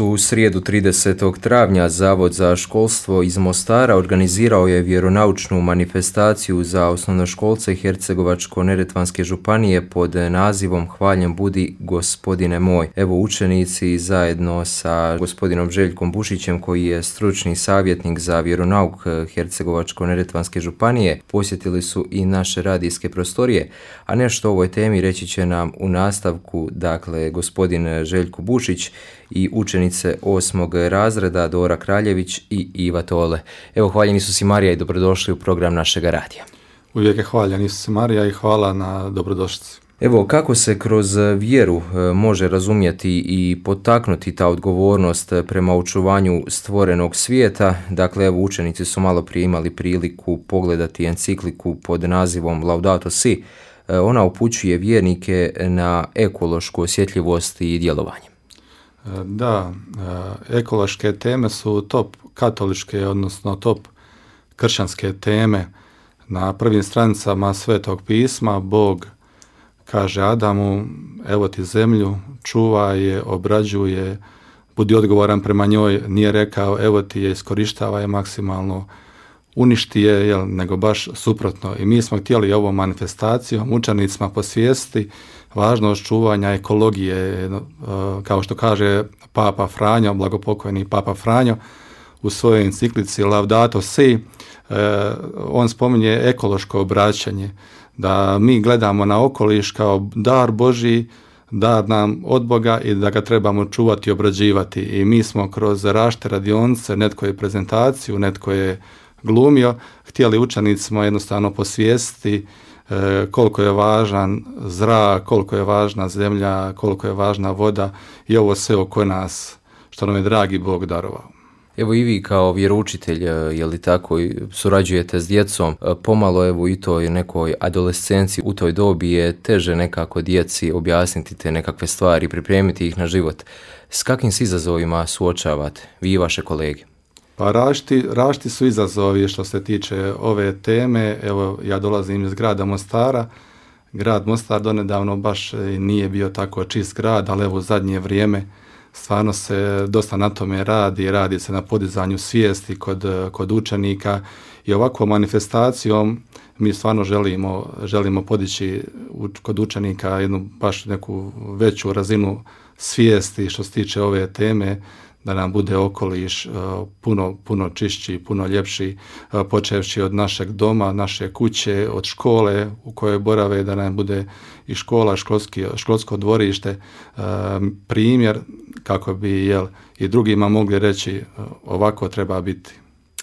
U srijedu 30. travnja Zavod za školstvo iz Mostara organizirao je vjeronaučnu manifestaciju za osnovnoškolce Hercegovačko-neretvanske županije pod nazivom Hvaljen budi gospodine moj. Evo, učenici zajedno sa gospodinom Željkom Bušićem, koji je stručni savjetnik za vjeronauk Hercegovačko-neretvanske županije, posjetili su i naše radijske prostorije, a nešto o ovoj temi reći će nam u nastavku, dakle, gospodin Željko Bušić i učenice 8. razreda Dora Kraljević i Iva Tole. Evo, hvaljen Isus i Marija i dobrodošli u program našega radija. Uvijek je hvaljen Isus i Marija i hvala na dobrodošlici. Evo, kako se kroz vjeru može razumjeti i potaknuti ta odgovornost prema očuvanju stvorenog svijeta? Dakle, evo, učenici su malo prije imali priliku pogledati encikliku pod nazivom Laudato Si. Ona upućuje vjernike na ekološku osjetljivost i djelovanje. Da, ekološke teme su top katoličke, odnosno top kršćanske teme. Na prvim stranicama Svetog pisma Bog kaže Adamu: evo ti zemlju, čuvaj je, obrađuje, budi odgovoran prema njoj. Nije rekao evo ti je, iskorištava je maksimalno, uništi je, nego baš suprotno. I mi smo htjeli ovom manifestacijom učenicima posvijestiti važnost čuvanja ekologije, kao što kaže Papa Franjo, blagopokojni Papa Franjo u svojoj enciklici Laudato Si. On spominje ekološko obraćanje, da mi gledamo na okoliš kao dar Božji, dar nam od Boga i da ga trebamo čuvati i obrađivati. I mi smo kroz različite radionice, netko je prezentaciju, netko je glumio, htjeli učenicima jednostavno posvijestiti koliko je važan zrak, koliko je važna zemlja, koliko je važna voda i ovo sve oko nas što nam je dragi Bog darovao. Evo, i vi kao vjeroučitelj, je li tako, surađujete s djecom, pomalo evo i toj nekoj adolescenciji, u toj dobi je teže nekako djeci objasniti te nekakve stvari, pripremiti ih na život. S kakvim se izazovima suočavate, vi i vaše kolege? Pa različiti su izazovi što se tiče ove teme. Evo, ja dolazim iz grada Mostara. Grad Mostar donedavno baš nije bio tako čist grad, ali evo u zadnje vrijeme stvarno se dosta na tome radi se na podizanju svijesti kod učenika i ovakvom manifestacijom mi stvarno želimo podići kod učenika jednu baš neku veću razinu svijesti što se tiče ove teme, da nam bude okoliš puno čišći, puno ljepši, počevši od našeg doma, naše kuće, od škole u kojoj borave, da nam bude i škola, školsko dvorište, primjer kako bi i drugima mogli reći ovako treba biti.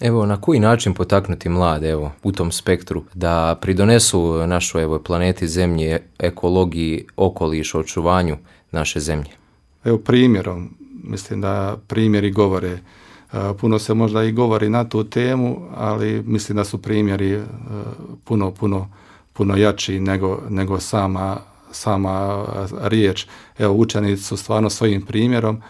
Evo, na koji način potaknuti mlade u tom spektru da pridonesu našoj planeti Zemlji, ekologiji, okolišu, očuvanju naše zemlje? Evo, primjerom. Mislim da primjeri govore. Puno se možda i govori na tu temu, ali mislim da su primjeri puno jači nego sama riječ. Evo, učenici su stvarno svojim primjerom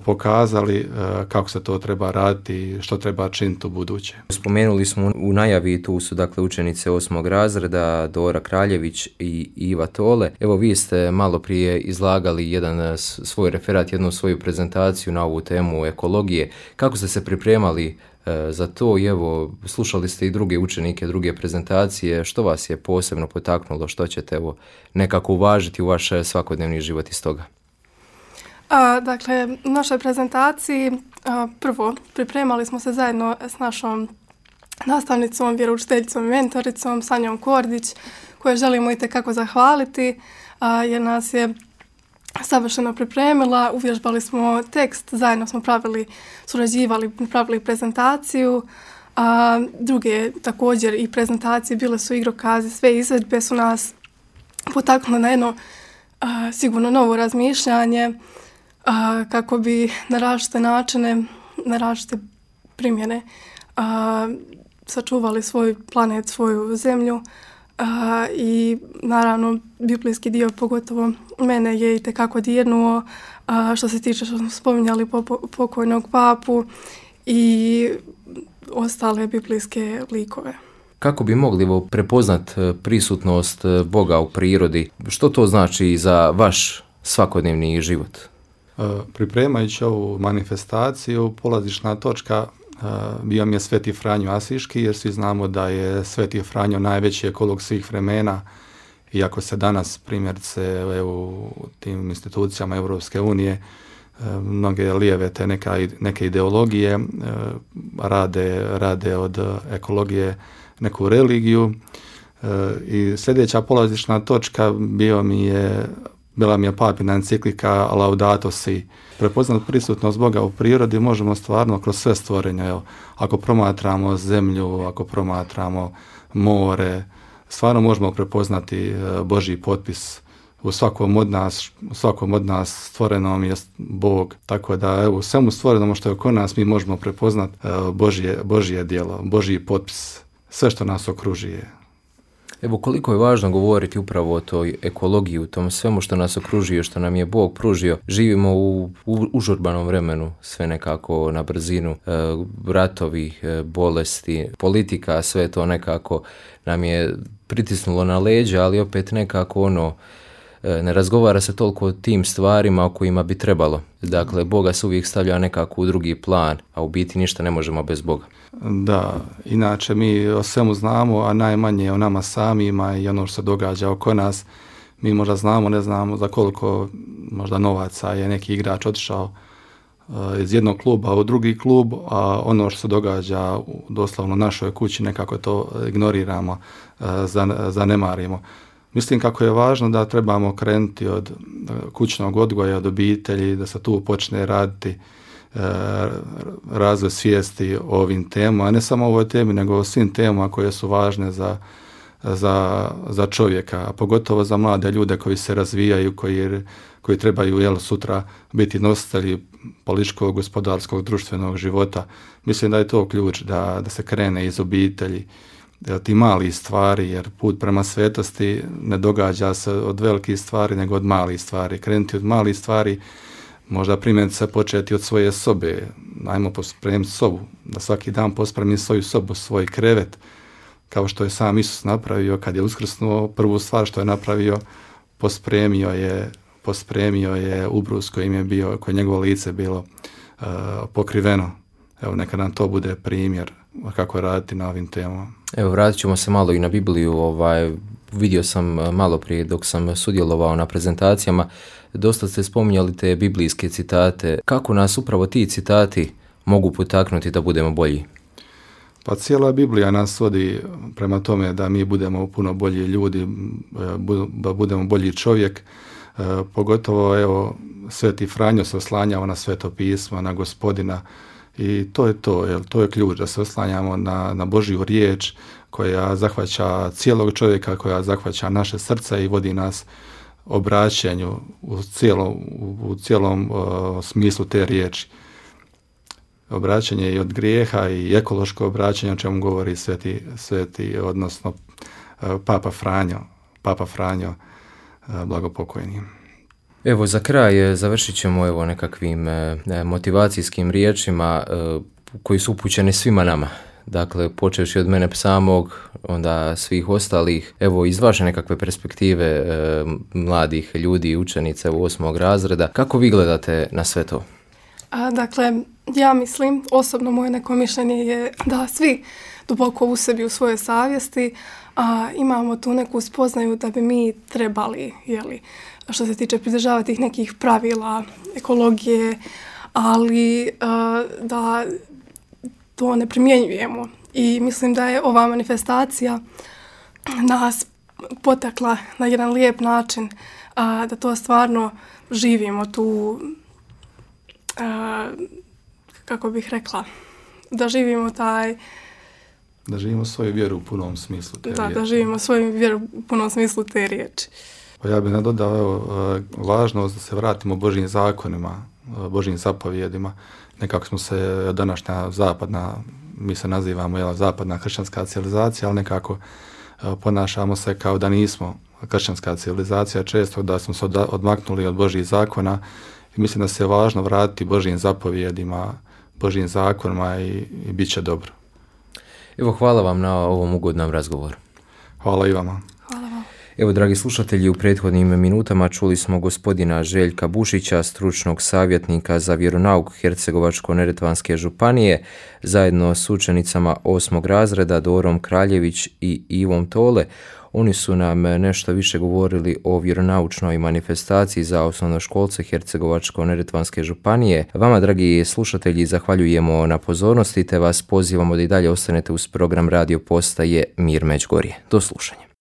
pokazali kako se to treba raditi i što treba činiti u buduće. Spomenuli smo u najavi, tu su dakle učenice 8. razreda Dora Kraljević i Iva Tole. Evo, vi ste malo prije izlagali jedan svoj referat, jednu svoju prezentaciju na ovu temu ekologije. Kako ste se pripremali za to? I evo, slušali ste i druge učenike, druge prezentacije. Što vas je posebno potaknulo? Što ćete nekako uvažiti u vaš svakodnevni život iz toga? Dakle, u našoj prezentaciji prvo pripremali smo se zajedno s našom nastavnicom, vjeroučiteljicom i mentoricom Sanjom Kordić, koje želimo itekako zahvaliti jer nas je savršeno pripremila. Uvježbali smo tekst, zajedno smo surađivali, pravili prezentaciju. Druge također i prezentacije, bile su igrokazi, sve izvedbe su nas potaknule na jedno sigurno novo razmišljanje, kako bi na različite načine, na različite primjene sačuvali svoj planet, svoju zemlju i naravno biblijski dio pogotovo mene je itekako dirnuo što se tiče što smo spominjali pokojnog papu i ostale biblijske likove. Kako bi mogli prepoznat prisutnost Boga u prirodi? Što to znači za vaš svakodnevni život? Pripremajući ovu manifestaciju, polazišna točka bio mi je Sveti Franjo Asiški, jer svi znamo da je Sveti Franjo najveći ekolog svih vremena, iako se danas primjerice u tim institucijama Europske unije mnoge lijeve te neke ideologije rade od ekologije neku religiju. I sljedeća polazišna točka bila mi je papina enciklika Laudato Si. Prepoznat prisutnost Boga u prirodi možemo stvarno kroz sve stvorenja. Evo, ako promatramo zemlju, ako promatramo more, stvarno možemo prepoznati Božji potpis. U svakom od nas stvorenom je Bog. Tako da evo, u svemu stvorenom što je oko nas mi možemo prepoznati Božje djelo, Božji potpis, sve što nas okružuje. Evo koliko je važno govoriti upravo o toj ekologiji, u tom svemu što nas okružuje, što nam je Bog pružio. Živimo u užurbanom vremenu, sve nekako na brzinu, ratovi, bolesti, politika, sve to nekako nam je pritisnulo na leđa, ali opet nekako ne razgovara se toliko o tim stvarima o kojima bi trebalo. Dakle, Boga se uvijek stavlja nekako u drugi plan, a u biti ništa ne možemo bez Boga. Da, inače mi o svemu znamo, a najmanje o nama samima i ono što se događa oko nas. Mi možda znamo, ne znamo za koliko možda novaca je neki igrač otišao iz jednog kluba u drugi klub, a ono što se događa doslovno u našoj kući nekako to ignoriramo, zanemarimo. Mislim kako je važno da trebamo krenuti od kućnog odgoja, od obitelji, da se tu počne raditi razvoj svijesti o ovim temama, a ne samo o ovoj temi, nego o svim temama koje su važne za čovjeka, a pogotovo za mlade ljude koji se razvijaju, koji trebaju sutra biti nositelji političkog, gospodarskog, društvenog života. Mislim da je to ključ da se krene iz obitelji, ti mali stvari, jer put prema svetosti ne događa se od velikih stvari, nego od malih stvari. Krenuti od malih stvari, možda primjerice se početi od svoje sobe. Ajmo pospremiti sobu, da svaki dan pospremi svoju sobu, svoj krevet, kao što je sam Isus napravio kad je uskrsnuo. Prvu stvar što je napravio, pospremio je ubrus kojim je njegovo lice bilo pokriveno. Evo, neka nam to bude primjer kako raditi na ovim temama. Evo, vratit ćemo se malo i na Bibliju. Vidio sam malo prije dok sam sudjelovao na prezentacijama, dosta ste spominjali te biblijske citate. Kako nas upravo ti citati mogu potaknuti da budemo bolji? Pa cijela Biblija nas vodi prema tome da mi budemo puno bolji ljudi, da budemo bolji čovjek. Pogotovo, evo, Sveti Franjo se oslanjao na Sveto pismo, na Gospodina. I to je to je ključ, da se oslanjamo na Božju riječ koja zahvaća cijelog čovjeka, koja zahvaća naše srce i vodi nas obraćanju u cijelom smislu te riječi. Obraćanje i od grijeha i ekološko obraćanje, o čemu govori sveti odnosno Papa Franjo, blagopokojni. Evo, za kraj završit ćemo nekakvim motivacijskim riječima koji su upućeni svima nama. Dakle, počevši od mene samog, onda svih ostalih. Evo, iz vaše nekakve perspektive mladih ljudi, učenice u 8. razreda, kako vi gledate na sve to? Dakle, ja mislim, osobno moje neko mišljenje je da svi duboko u sebi, u svojoj savjesti, imamo tu neku spoznaju da bi mi trebali, što se tiče pridržavati tih nekih pravila, ekologije, ali da to ne primjenjujemo. I mislim da je ova manifestacija nas potakla na jedan lijep način da to stvarno živimo tu, kako bih rekla, da živimo Da živimo svoju vjeru u punom smislu te riječi. Da živimo svoju vjeru u punom smislu te riječi. Pa ja bih nadodao važnost da se vratimo Božjim zakonima, Božjim zapovjedima. Nekako smo se današnja mi se nazivamo zapadna kršćanska civilizacija, ali nekako ponašamo se kao da nismo kršćanska civilizacija, često da smo se odmaknuli od Božjih zakona i mislim da se je važno vratiti Božjim zapovjedima, Božjim zakonima i bit će dobro. Evo, hvala vam na ovom ugodnom razgovoru. Hvala i vama. Hvala vam. Evo, dragi slušatelji, u prethodnim minutama čuli smo gospodina Željka Bušića, stručnog savjetnika za vjeronauk Hercegovačko-neretvanske županije, zajedno s učenicama 8. razreda Dorom Kraljević i Ivom Tole. Oni su nam nešto više govorili o vjeronaučnoj manifestaciji za osnovnoškolce Hercegovačko-neretvanske županije. Vama, dragi slušatelji, zahvaljujemo na pozornosti te vas pozivamo da i dalje ostanete uz program radio postaje Mir Međugorje. Do slušanja.